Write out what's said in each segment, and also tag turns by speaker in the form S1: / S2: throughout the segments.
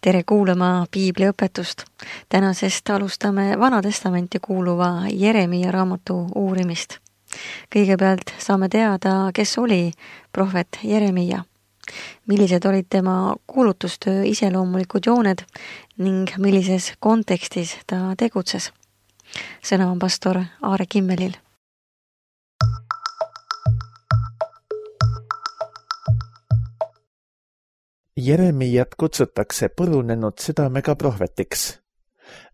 S1: Tere kuulama piibliõpetust. Tänasest alustame Vana Testamenti kuuluva Jeremia raamatu uurimist. Kõigepealt saame teada, kes oli prohvet Jeremia, millised olid tema kuulutustöö iseloomulikud jooned ning millises kontekstis ta tegutses. Sõna on pastor Aare Kimmelil.
S2: Jeremiat kutsutakse purunenud südamega prohvetiks.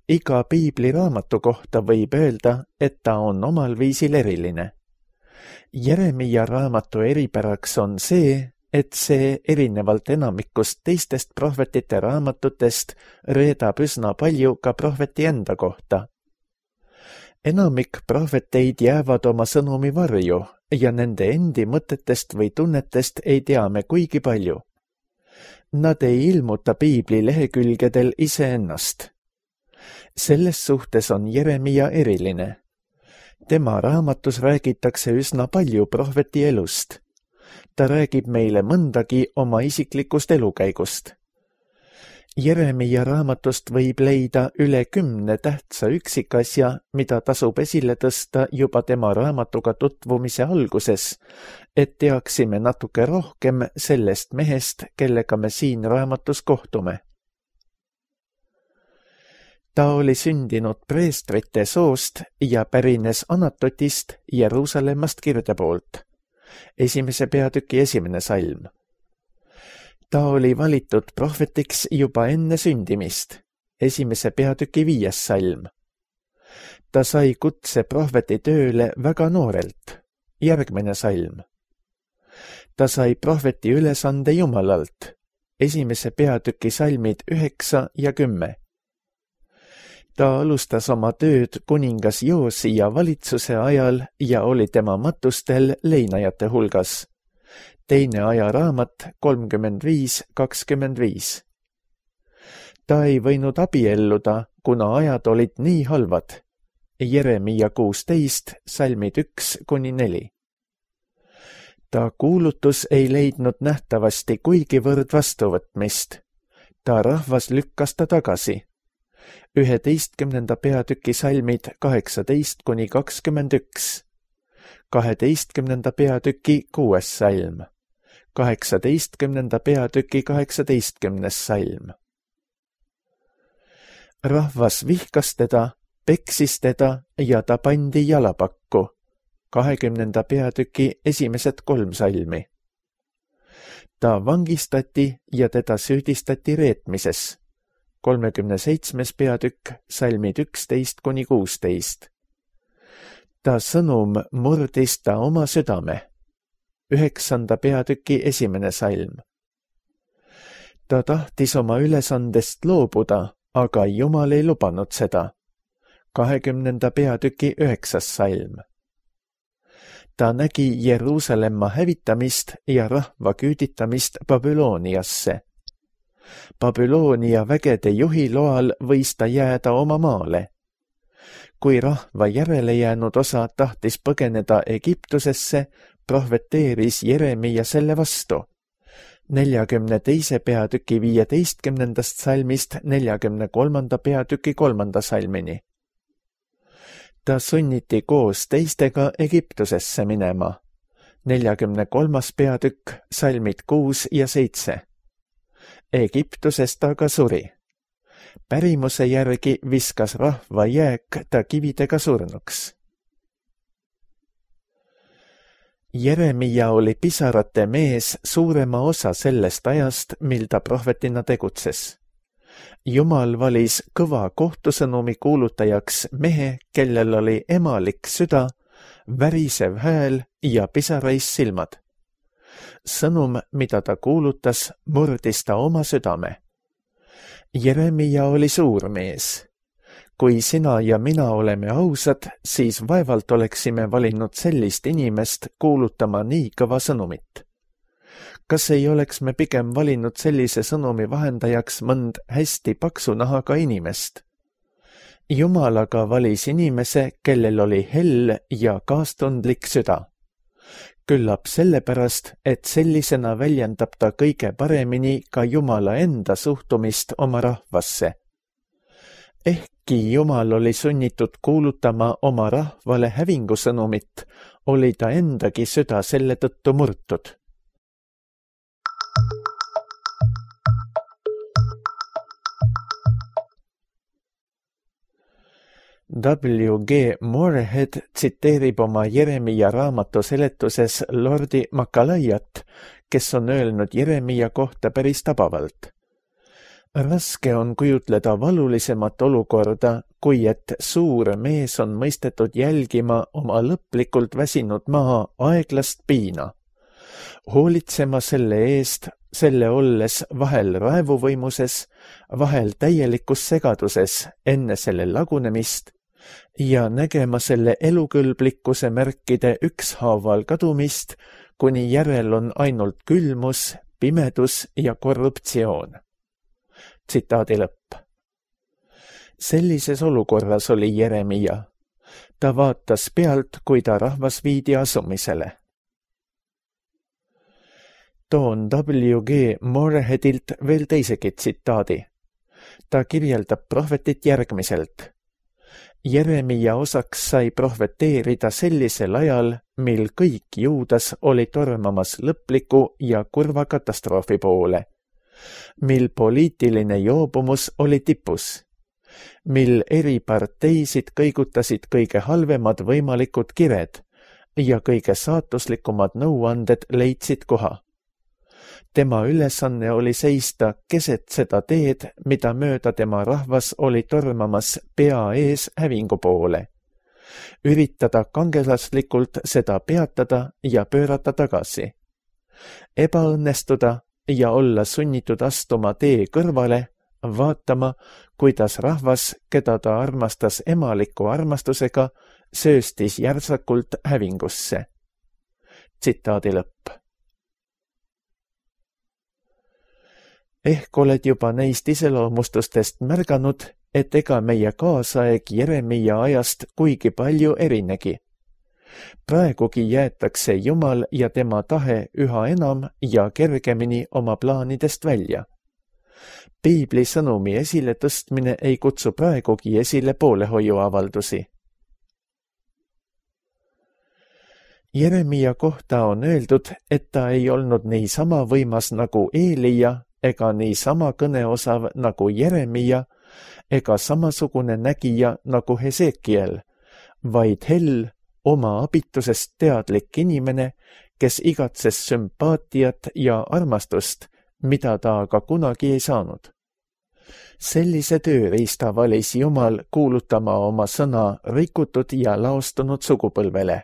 S2: Iga piibliraamatu kohta võib öelda, et ta on omal viisil eriline. Jeremia raamatu eripäraks on see, et see erinevalt enamikust teistest prohvetite raamatutest reedab üsna palju ka prohveti enda kohta. Enamik prohveteid jäävad oma sõnumi varju ja nende endi mõtetest või tunnetest ei tea me kuigi palju. Nad ei ilmuta piibli lehekülgedel iseennast. Selles suhtes on Jeremia eriline. Tema raamatus räägitakse üsna palju prohveti elust. Ta räägib meile mõndagi oma isiklikust elukäigust. Jeremia raamatust võib leida üle 10 tähtsa üksikasja, mida tasub esile tõsta juba tema raamatuga tutvumise alguses, et teaksime natuke rohkem sellest mehest, kellega me siin raamatus kohtume. Ta oli sündinud preestrite soost ja pärines Anatotist Jeruusalemmast kirde poolt. 1. peatüki 1. salm. Ta oli valitud prohvetiks juba enne sündimist, 1. peatüki 5. salm. Ta sai kutse prohveti tööle väga noorelt, järgmine salm. Ta sai prohveti ülesande Jumalalt, 1. peatüki salmid 9 ja 10. Ta alustas oma tööd kuningas Joosia valitsuse ajal ja oli tema matustel leinajate hulgas. 2. ajaraamat 35:25. Ta ei võinud abielluda, kuna ajad olid nii halvad. Jeremia 16, salmid 1-4. Ta kuulutus ei leidnud nähtavasti kuigivõrd vastuvõtmist. Ta rahvas lükkas ta tagasi. 11. peatüki salmid 18-21. 12. peatüki 6. salm. 18. peatüki 18. salm. Rahvas vihkas teda, peksis teda ja ta pandi jalapakku. 20. peatüki esimesed 3 salmi. Ta vangistati ja teda süüdistati reetmises. 37. peatükk, salmid 11-16. Ta sõnum murdis ta oma südame. 9. peatüki 1. salm. Ta tahtis oma ülesandest loobuda, aga Jumal ei lubanud seda. 20. peatüki 9. salm. Ta nägi Jeruusalemma hävitamist ja rahva küüditamist Babyloniasse. Babyloonia vägede juhi loal võis ta jääda oma maale. Kui rahva järele jäänud osa tahtis põgeneda Egiptusesse, prohveteeris Jeremia selle vastu. 42. peatüki 15. salmist 43. peatüki 3. salmini. Ta sunniti koos teistega Egiptusesse minema. 43. peatükk, salmid 6 ja 7. Egiptuses ta ka suri. Pärimuse järgi viskas rahva jääk ta kividega surnuks. Jeremia oli pisarate mees suurema osa sellest ajast, mil ta prohvetina tegutses. Jumal valis kõva kohtusõnumi kuulutajaks mehe, kellel oli emalik süda, värisev hääl ja pisarais silmad. Sõnum, mida ta kuulutas, murdis ta oma südame. Jeremia oli suur mees. Kui sina ja mina oleme ausad, siis vaevalt oleksime valinud sellist inimest kuulutama nii kõva sõnumit. Kas ei oleks me pigem valinud sellise sõnumi vahendajaks mõnd hästi paksu nahaga inimest? Jumal aga valis inimese, kellel oli hell ja kaastundlik süda. Küllap sellepärast, et sellisena väljendab ta kõige paremini ka Jumala enda suhtumist oma rahvasse. Ehkki Jumal oli sunnitud kuulutama oma rahvale hävingusõnumit, oli ta endagi süda selle tõttu murtud. W.G. Morehead tsiteerib oma Jeremia raamatu seletuses lordi Makalaiat, kes on öelnud Jeremia kohta päris tabavalt. Raske on kujutleda valulisemat olukorda, kui et suur mees on mõistetud jälgima oma lõplikult väsinud maa aeglast piina, hoolitsema selle eest, selle olles vahel raevuvõimuses, vahel täielikus segaduses enne selle lagunemist ja nägema selle elukõlblikkuse märkide ükshaaval kadumist, kuni järel on ainult külmus, pimedus ja korruptsioon. Tsitaadi lõpp. Sellises olukorras oli Jeremia. Ta vaatas pealt, kui ta rahvas viidi asumisele. Toon W.G. Moreheadilt veel teisegi tsitaadi. Ta kirjeldab prohvetit järgmiselt. Jeremia osaks sai prohveteerida sellisel ajal, mil kõik Juudas oli tormamas lõpliku ja kurva katastroofi poole, mil poliitiline joobumus oli tipus, mil eri parteisid kõigutasid kõige halvemad võimalikud kired ja kõige saatuslikumad nõuanded leidsid koha. Tema ülesanne oli seista keset seda teed, mida mööda tema rahvas oli tormamas pea ees hävingu poole. Üritada kangelaslikult seda peatada ja pöörata tagasi. Ebaõnnestuda ja olla sunnitud astuma tee kõrvale, vaatama, kuidas rahvas, keda ta armastas emaliku armastusega, sööstis järsakult hävingusse. Tsitaadi lõpp. Ehk oled juba neist iseloomustustest märganud, et ega meie kaasaeg Jeremia ajast kuigi palju erinegi. Praegugi jäetakse Jumal ja tema tahe üha enam ja kergemini oma plaanidest välja. Piibli sõnumi esile tõstmine ei kutsu praegugi esile poolehoiuavaldusi. Jeremia kohta on öeldud, et ta ei olnud niisama võimas nagu Eelia, ega niisama kõneosav nagu Jeremia, ega samasugune nägija nagu Hesekiel, vaid hell, oma abitusest teadlik inimene, kes igatses sümpaatiat ja armastust, mida ta aga kunagi ei saanud. Sellise tööriista valis Jumal kuulutama oma sõna rikutud ja laostunud sugupõlvele.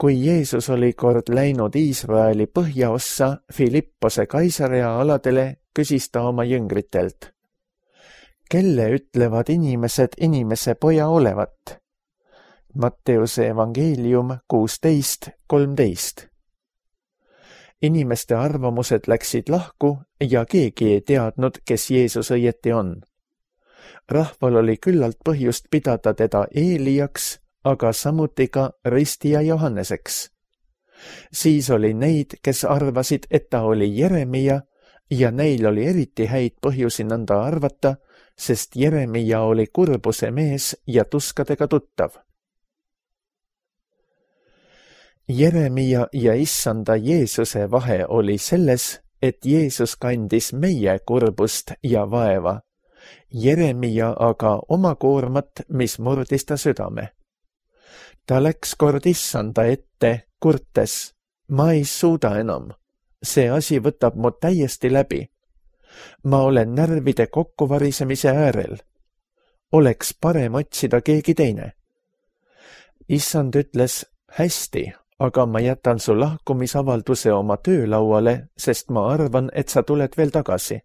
S2: Kui Jeesus oli kord läinud Iisraeli põhjaossa Filippose Kaisarea aladele, küsis ta oma jüngritelt. Kelle ütlevad inimesed inimese poja olevat? Matteuse evangeelium 16:13. Inimeste arvamused läksid lahku ja keegi ei teadnud, kes Jeesus õieti on. Rahval oli küllalt põhjust pidada teda Eeliaks, aga samuti ka ristija Johanneseks. Siis oli neid, kes arvasid, et ta oli Jeremia ja neil oli eriti häid põhjusi nõnda arvata, sest Jeremia oli kurbuse mees ja tuskadega tuttav. Jeremia ja issanda Jeesuse vahe oli selles, et Jeesus kandis meie kurbust ja vaeva. Jeremia aga oma koormat, mis murdis ta südame. Ta läks kord issanda ette, kurtes, ma ei suuda enam. See asi võtab mu täiesti läbi. Ma olen närvide kokkuvarisemise äärel. Oleks parem otsida keegi teine. Issand ütles, hästi, aga ma jätan su lahkumisavalduse oma töölauale, sest ma arvan, et sa tuled veel tagasi.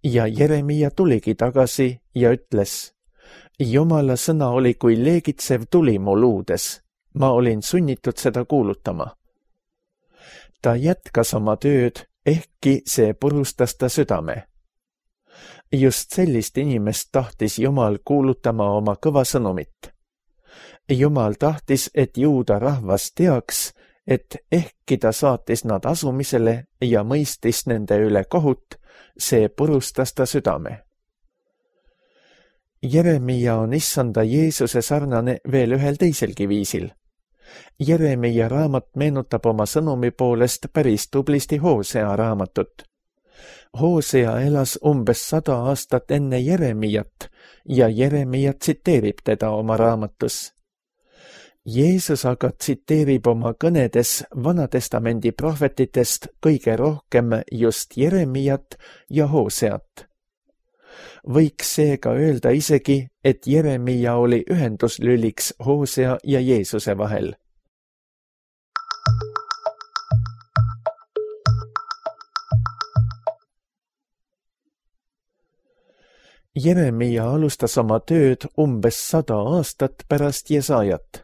S2: Ja Jeremia tuligi tagasi ja ütles, Jumala sõna oli kui leegitsev tuli mu luudes. Ma olin sunnitud seda kuulutama. Ta jätkas oma tööd, ehkki see purustas ta südame. Just sellist inimest tahtis Jumal kuulutama oma kõva sõnumit. Jumal tahtis, et juuda rahvas teaks, et ehkki ta saatis nad asumisele ja mõistis nende üle kohut, see purustas ta südame. Jeremia on issanda Jeesuse sarnane veel ühel teiselgi viisil. Jeremia raamat meenutab oma sõnumi poolest päris tublisti Hoosea raamatut. Hoosea elas umbes 100 aastat enne Jeremiat ja Jeremia tsiteerib teda oma raamatus. Jeesus aga tsiteerib oma kõnedes Vanatestamendi prohvetitest kõige rohkem just Jeremiat ja Hooseat. Võiks seega öelda isegi, et Jeremia oli ühenduslüliks Hoosea ja Jeesuse vahel. Jeremia alustas oma tööd umbes 100 aastat pärast Jesajat.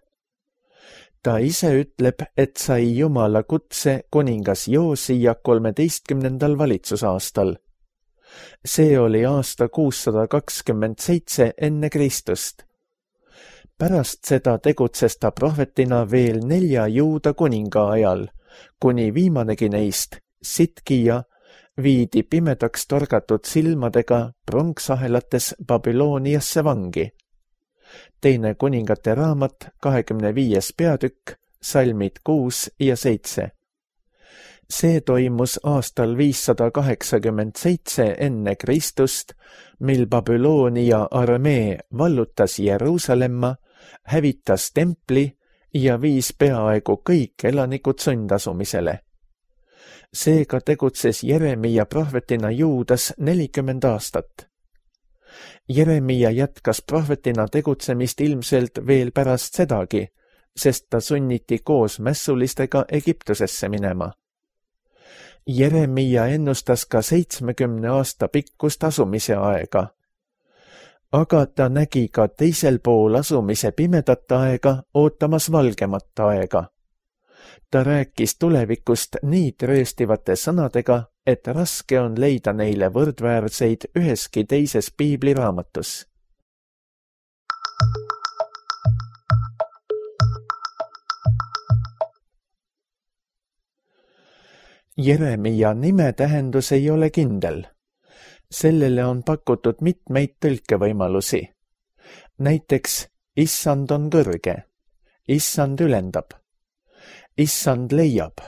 S2: Ta ise ütleb, et sai Jumala kutse kuningas Joosia 13. valitsusaastal. See oli aasta 627 enne Kristust. Pärast seda tegutses ta prohvetina veel 4 juuda kuninga ajal, kuni viimanegi neist, Sitkija, viidi pimedaks torgatud silmadega pronksahelates Babyloniasse vangi. Teine kuningate raamat, 25. peatükk, salmid 6 ja 7. See toimus aastal 587 enne Kristust, mil Babyloonia armee vallutas Jeruusalemma, hävitas templi ja viis peaaegu kõik elanikud sundasumisele. Seega tegutses Jeremia prohvetina Juudas 40 aastat. Jeremia jätkas prohvetina tegutsemist ilmselt veel pärast sedagi, sest ta sunniti koos mässulistega Egiptusesse minema. Jeremia ennustas ka 70 aasta pikkust asumise aega. Aga ta nägi ka teisel pool asumise pimedat aega ootamas valgemat aega. Ta rääkis tulevikust nii trööstivate sõnadega, et raske on leida neile võrdväärseid üheski teises piibliraamatus. Jeremia nime tähendus ei ole kindel. Sellele on pakutud mitmeid tõlkevõimalusi. Näiteks issand on kõrge, issand ülendab, issand leiab,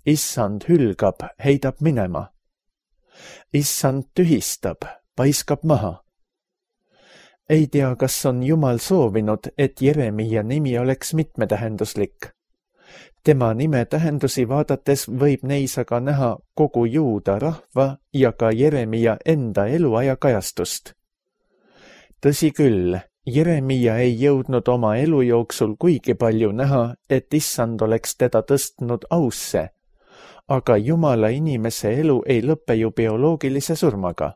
S2: issand hülgab, heidab minema, issand tühistab, paiskab maha. Ei tea, kas on Jumal soovinud, et Jeremia nimi oleks mitmetähenduslik. Tema nime tähendusi vaadates võib neis aga näha kogu juuda rahva ja ka Jeremia enda eluaja kajastust. Tõsi küll, Jeremia ei jõudnud oma elu jooksul kuigi palju näha, et issand oleks teda tõstnud ausse, aga Jumala inimese elu ei lõpe ju bioloogilise surmaga.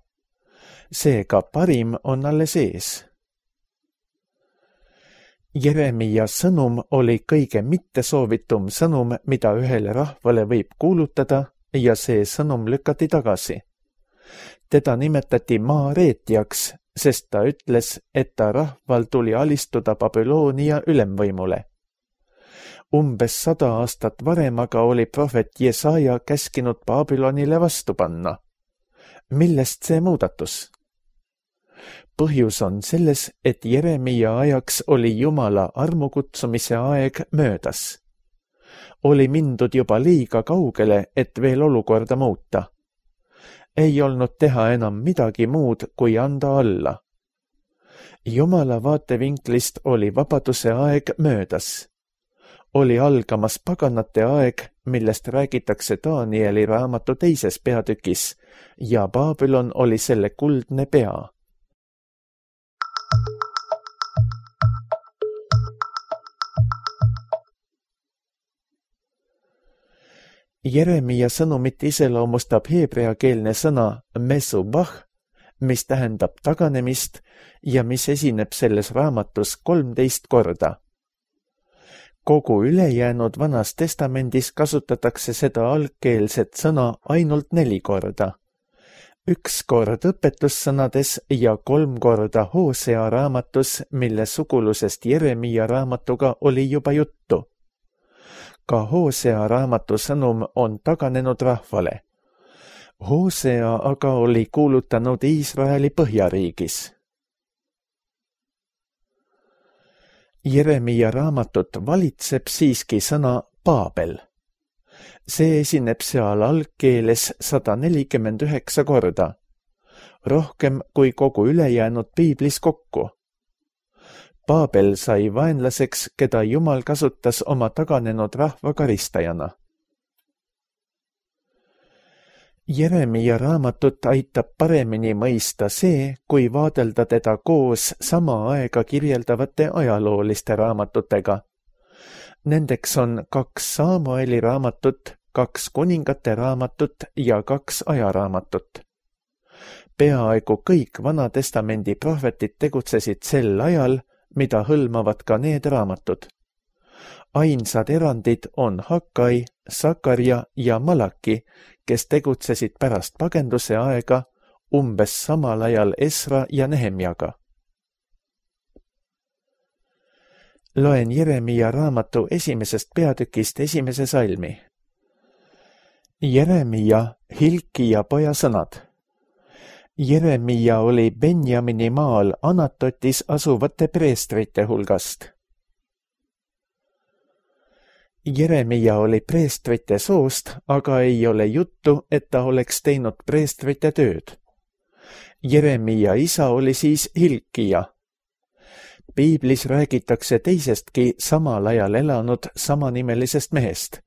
S2: Seega parim on alles ees. Jeremia sõnum oli kõige mittesoovitum sõnum, mida ühele rahvale võib kuulutada, ja see sõnum lükati tagasi. Teda nimetati maareetjaks, sest ta ütles, et ta rahval tuli alistuda Babyloonia ülemvõimule. Umbes 100 aastat varem aga oli prohvet Jesaja käskinud Babylonile vastu panna. Millest see muudatus? Põhjus on selles, et Jeremia ajaks oli Jumala armukutsumise aeg möödas. Oli mindud juba liiga kaugele, et veel olukorda muuta. Ei olnud teha enam midagi muud, kui anda alla. Jumala vaatevinklist oli vabaduse aeg möödas. Oli algamas paganate aeg, millest räägitakse Danieli raamatu 2. peatükis, ja Babylon oli selle kuldne pea. Jeremia sõnumit iseloomustab heebreakeelne sõna mesubah, mis tähendab taganemist ja mis esineb selles raamatus 13 korda. Kogu ülejäänud Vanas Testamendis kasutatakse seda algkeelset sõna ainult 4 korda, 1 kord õpetussõnades ja 3 korda Hosea raamatus, mille sugulusest Jeremia raamatuga oli juba juttu. Ka Hosea raamatu sõnum on taganenud rahvale. Hosea aga oli kuulutanud Iisraeli põhjariigis. Jeremia raamatut valitseb siiski sõna Paabel. See esineb seal algkeeles 149 korda, rohkem kui kogu ülejäänud piiblis kokku. Paabel sai vaenlaseks, keda Jumal kasutas oma taganenud rahva karistajana. Jeremia raamatut aitab paremini mõista see, kui vaadelda teda koos sama aega kirjeldavate ajalooliste raamatutega. Nendeks on 2 Samueli raamatut, 2 kuningate raamatut ja 2 ajaraamatut. Peaaegu kõik Vana-testamendi prohvetid tegutsesid sel ajal, mida hõlmavad ka need raamatud. Ainsad erandid on Hakkai, Sakarja ja Malaki, kes tegutsesid pärast pagenduse aega umbes samal ajal Esra ja Nehemjaga. Loen Jeremia raamatu 1. peatükist 1. salmi. Jeremia, Hilkia poja sõnad. Jeremia oli Benjamini maal Anatotis asuvate preestrite hulgast. Jeremia oli preestrite soost, aga ei ole juttu, et ta oleks teinud preestrite tööd. Jeremia isa oli siis Hilkia. Piiblis räägitakse teisestki samal ajal elanud samanimelisest mehest.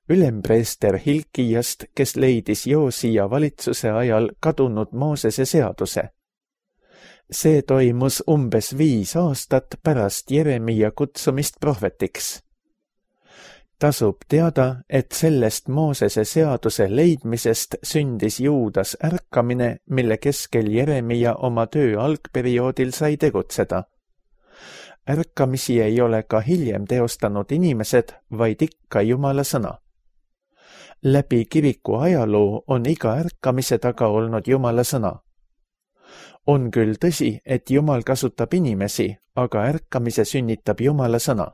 S2: Ülempreester Hilkiast, kes leidis Joosia valitsuse ajal kadunud Moosese seaduse. See toimus umbes 5 aastat pärast Jeremia kutsumist prohvetiks. Tasub teada, et sellest Moosese seaduse leidmisest sündis Juudas ärkamine, mille keskel Jeremia oma töö algperioodil sai tegutseda. Ärkamisi ei ole ka hiljem teostanud inimesed, vaid ikka Jumala sõna. Läbi kiriku ajaloo on iga ärkamise taga olnud Jumala sõna. On küll tõsi, et Jumal kasutab inimesi, aga ärkamise sünnitab Jumala sõna.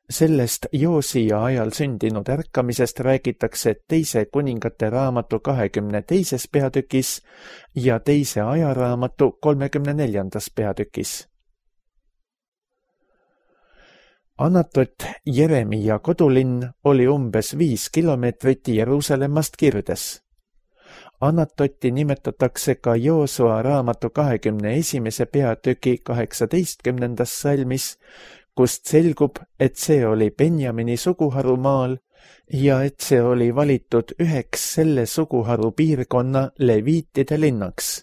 S2: Sellest Joosia ajal sündinud ärkamisest räägitakse 2. kuningate raamatu 22. peatükis ja 2. ajaraamatu 34. peatükis. Anatot, Jeremia kodulinn, oli umbes 5 kilomeetrit Jeruusalemmast kirdes. Anatoti nimetatakse ka Joosua raamatu 21. peatüki 18. salmis, kust selgub, et see oli Benjamini suguharu maal ja et see oli valitud üheks selle suguharu piirkonna leviitide linnaks.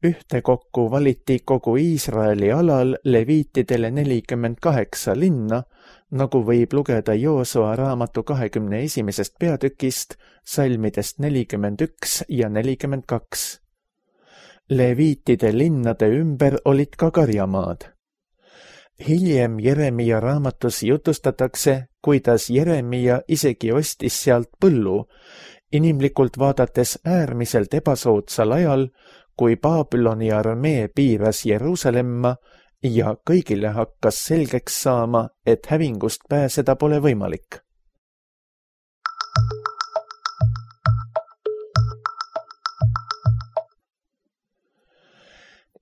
S2: Ühtekokku valiti kogu Iisraeli alal leviitidele 48 linna, nagu võib lugeda Joosua raamatu 21. peatükist, salmidest 41 ja 42. Leviitide linnade ümber olid ka karjamaad. Hiljem Jeremia raamatus jutustatakse, kuidas Jeremia isegi ostis sealt põllu, inimlikult vaadates äärmiselt ebasoodsal ajal, kui Babyloni armee piiras Jeruusalemma ja kõigile hakkas selgeks saama, et hävingust pääseda pole võimalik.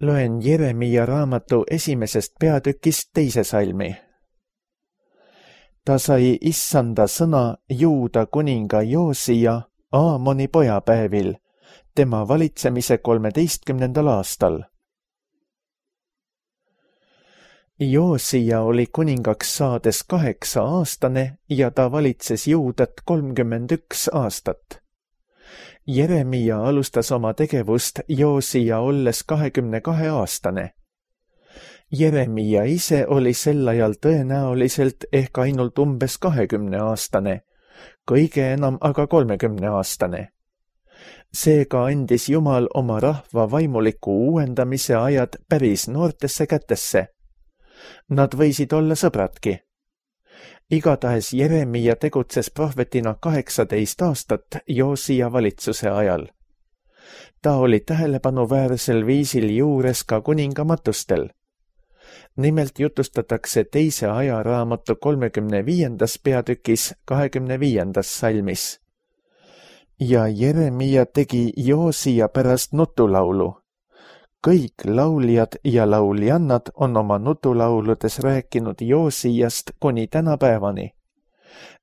S2: Loen Jeremia raamatu 1. peatükist 2. salmi. Ta sai issanda sõna Juuda kuninga Joosia Aamoni pojapäevil, tema valitsemise 13. aastal. Joosia oli kuningaks saades 8-aastane ja ta valitses Juudat 31 aastat. Jeremia alustas oma tegevust Joosia olles 22-aastane. Jeremia ise oli sel ajal tõenäoliselt ehk ainult umbes 20-aastane, kõige enam aga 30-aastane. Seega andis Jumal oma rahva vaimuliku uuendamise ajad päris noortesse kätesse. Nad võisid olla sõbradki. Igatahes Jeremia tegutses prohvetina 18 aastat Joosia valitsuse ajal. Ta oli tähelepanuväärsel viisil juures ka kuningamatustel. Nimelt jutustatakse teise ajaraamatu 35. peatükis 25. salmis. Ja Jeremia tegi Joosia pärast nutulaulu. Kõik lauljad ja lauljannad on oma nutulauludes rääkinud Joosiast kuni tänapäevani.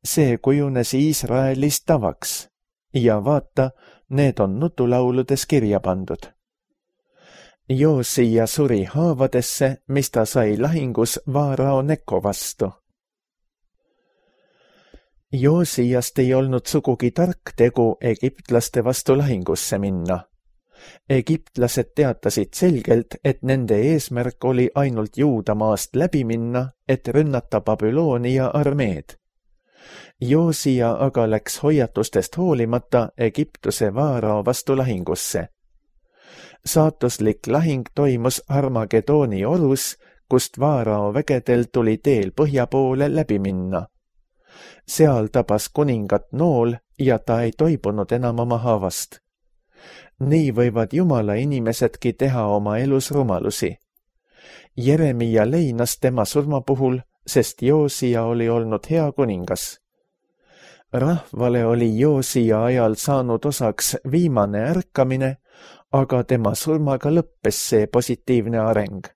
S2: See kujunes Iisraelis tavaks ja vaata, need on nutulauludes kirja pandud. Joosia suri haavadesse, mis ta sai lahingus Vaarao Neko vastu. Joosiast ei olnud sugugi tark tegu egiptlaste vastu lahingusse minna. Egiptlased teatasid selgelt, et nende eesmärk oli ainult Juudamaast läbi minna, et rünnata Babyloonia armeed. Joosia aga läks hoiatustest hoolimata Egiptuse Vaarao vastu lahingusse. Saatuslik lahing toimus Armagedooni orus, kust Vaarao vägedel tuli teel põhja poole läbi minna. Seal tabas kuningat nool ja ta ei toibunud enam oma haavast. Nii võivad Jumala inimesedki teha oma elus rumalusi. Jeremia leinas tema surma puhul, sest Joosia oli olnud hea kuningas. Rahvale oli Joosia ajal saanud osaks viimane ärkamine, aga tema surmaga lõppes see positiivne areng.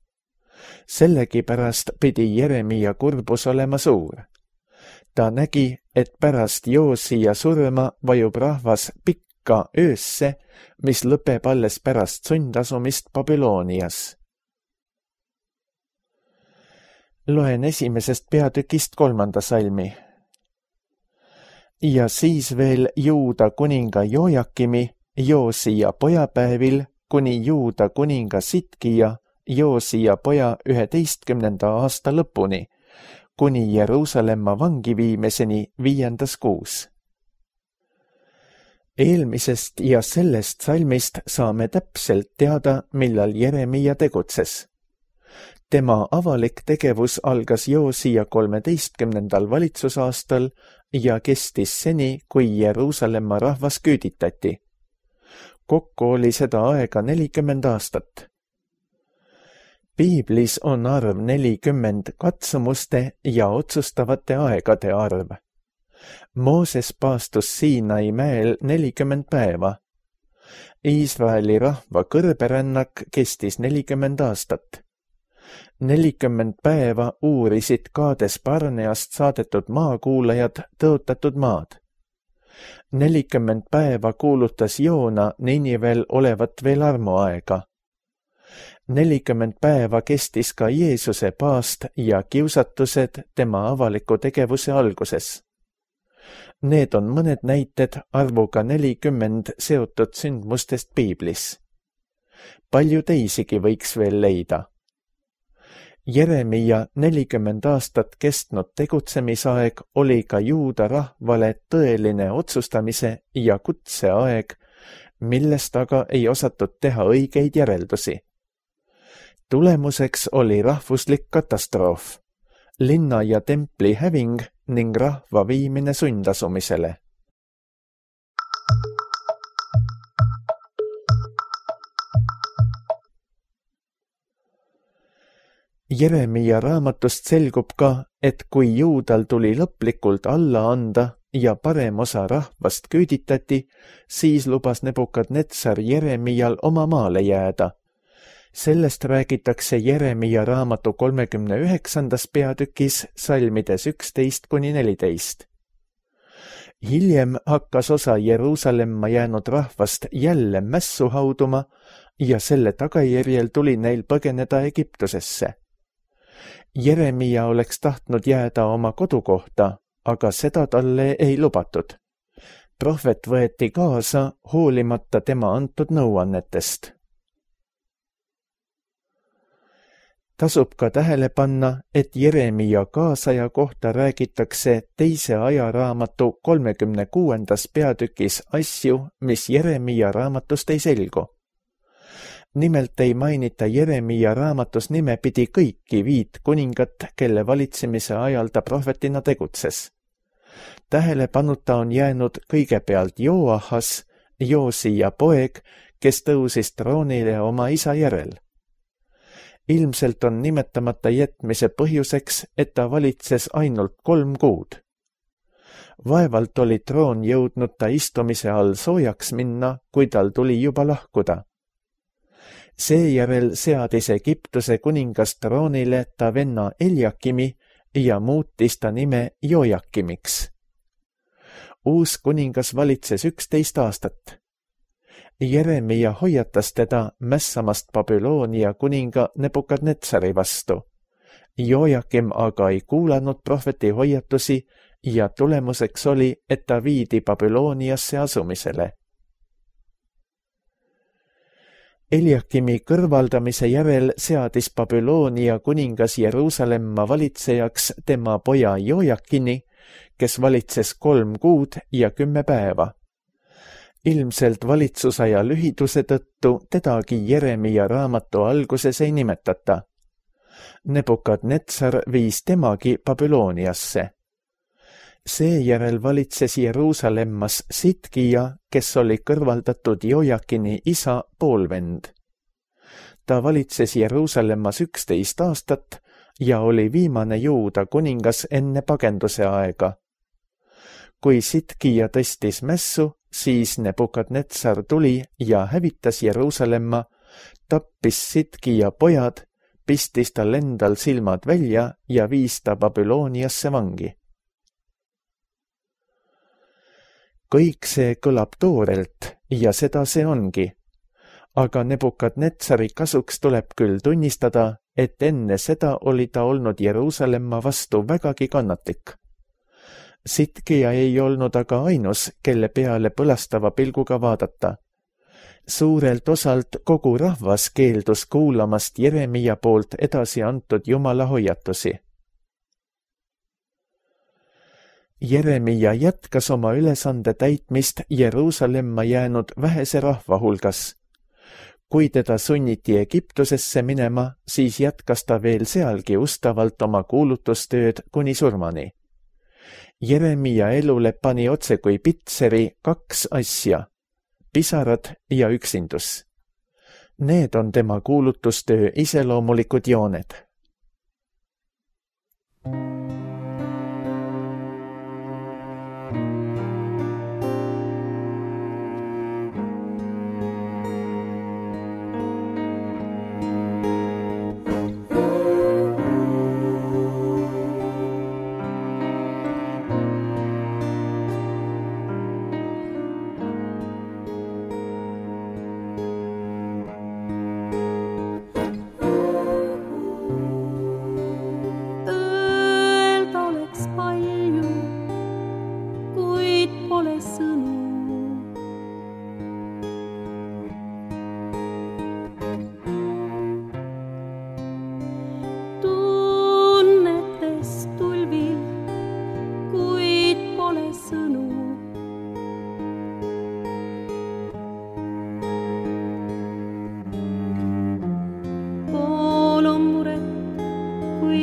S2: Sellegipärast pidi Jeremia kurbus olema suur. Ta nägi, et pärast Joosia surma vajub rahvas pikka öösse, mis lõpeb alles pärast sundasumist Babylonias. Loen 1. peatükist 3. salmi. Ja siis veel Juuda kuninga Jojakimi, Joosia pojapäevil, kuni Juuda kuninga Sitkija, Joosia poja 11. aasta lõpuni, kuni Jeruusalemma vangi viimiseni 5. kuus. Eelmisest ja sellest salmist saame täpselt teada, millal Jeremia tegutses. Tema avalik tegevus algas Joosia 13. valitsusaastal ja kestis seni, kui Jeruusalemma rahvas küüditati. Kokku oli seda aega 40 aastat. Piiblis on arv 40 katsumuste ja otsustavate aegade arv. Mooses paastus Siinai mäel 40 päeva. Iisraeli rahva kõrberännak kestis 40 aastat. 40 päeva uurisid Kaades Barneast saadetud maakuulajad tõotatud maad. 40 päeva kuulutas Joona Ninivel olevat veel armuaega. 40 päeva kestis ka Jeesuse paast ja kiusatused tema avaliku tegevuse alguses. Need on mõned näited arvuga 40 seotud sündmustest Piiblis. Palju teisigi võiks veel leida. Jeremia 40 aastat kestnud tegutsemisaeg oli ka Juuda rahvale tõeline otsustamise ja kutseaeg, millest aga ei osatud teha õigeid järeldusi. Tulemuseks oli rahvuslik katastroof, linna ja templi häving ning rahva viimine sundasumisele. Jeremia raamatust selgub ka, et kui Juudal tuli lõplikult alla anda ja parem osa rahvast küüditati, siis lubas Nebukadnetsar Jeremial oma maale jääda. Sellest räägitakse Jeremia raamatu 39. peatükis salmides 11-14. Hiljem hakkas osa Jeruusalemma jäänud rahvast jälle mässu hauduma ja selle tagajärjel tuli neil põgeneda Egiptusesse. Jeremia oleks tahtnud jääda oma kodukohta, aga seda talle ei lubatud. Prohvet võeti kaasa hoolimata tema antud nõuannetest. Tasub ka tähele panna, et Jeremia kaasaja kohta räägitakse teise ajaraamatu 36. peatükis asju, mis Jeremia raamatust ei selgu. Nimelt ei mainita Jeremia raamatus nimepidi kõiki 5 kuningat, kelle valitsemise ajal ta prohvetina tegutses. Tähelepanuta on jäänud kõigepealt Joahas, Joosia poeg, kes tõusis troonile oma isa järel. Ilmselt on nimetamata jätmise põhjuseks, et ta valitses ainult 3 kuud. Vaevalt oli troon jõudnud ta istumise all soojaks minna, kui tal tuli juba lahkuda. Seejärel seadis Egiptuse kuningas troonile ta venna Eliakimi ja muutis ta nime Jojakimiks. Uus kuningas valitses 11 aastat. Jeremia hoiatas teda mässamast Babyloonia kuninga Nebukadnetsari vastu. Jojakim aga ei kuulanud prohveti hoiatusi ja tulemuseks oli, et ta viidi Babyloniasse asumisele. Eliakimi kõrvaldamise järel seadis Babyloonia kuningas Jeruusalemma valitsejaks tema poja Jojakini, kes valitses 3 kuud ja 10 päeva. Ilmselt valitsusaja lühiduse tõttu tedagi Jeremia raamatu alguses ei nimetata. Nebukadnetsar viis temagi Babyloniasse. Seejärel valitses Jeruusalemmas Sitkija, kes oli kõrvaldatud Jojakini isa poolvend. Ta valitses Jeruusalemmas 11 aastat ja oli viimane Juuda kuningas enne pagenduse aega. Kui Sitkija tõstis mässu, siis Nebukadnetsar tuli ja hävitas Jeruusalemma, tappis Sitkija pojad, pistis tal endal silmad välja ja viis ta Babyloniasse vangi. Kõik see kõlab toorelt ja seda see ongi. Aga Nebukadnetsari kasuks tuleb küll tunnistada, et enne seda oli ta olnud Jeruusalemma vastu vägagi kannatlik. Sitkija ei olnud aga ainus, kelle peale põlastava pilguga vaadata. Suurelt osalt kogu rahvas keeldus kuulamast Jeremia poolt edasi antud Jumala hoiatusi. Jeremia jätkas oma ülesande täitmist Jeruusalemma jäänud vähese rahva hulgas. Kui teda sunniti Egiptusesse minema, siis jätkas ta veel sealgi ustavalt oma kuulutustööd kuni surmani. Jeremia elule pani otse kui pitseri 2 asja, pisarad ja üksindus. Need on tema kuulutustöö iseloomulikud jooned.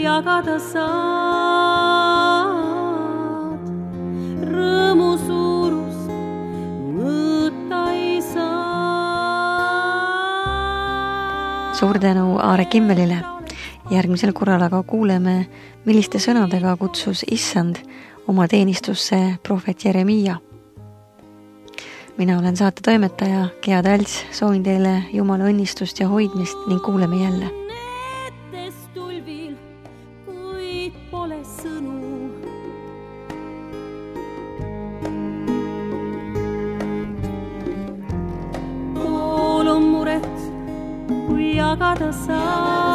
S3: Jagada saad, rõõmu suurust mõõta ei saa.
S1: Suur tänu Aare Kimmelile. Järgmisel korral aga kuuleme, milliste sõnadega kutsus Issand oma teenistusse prohvet Jeremia. Mina olen saate toimetaja Gea Talts, soovin teile Jumala õnnistust ja hoidmist ning kuuleme jälle.
S3: Jagada saad.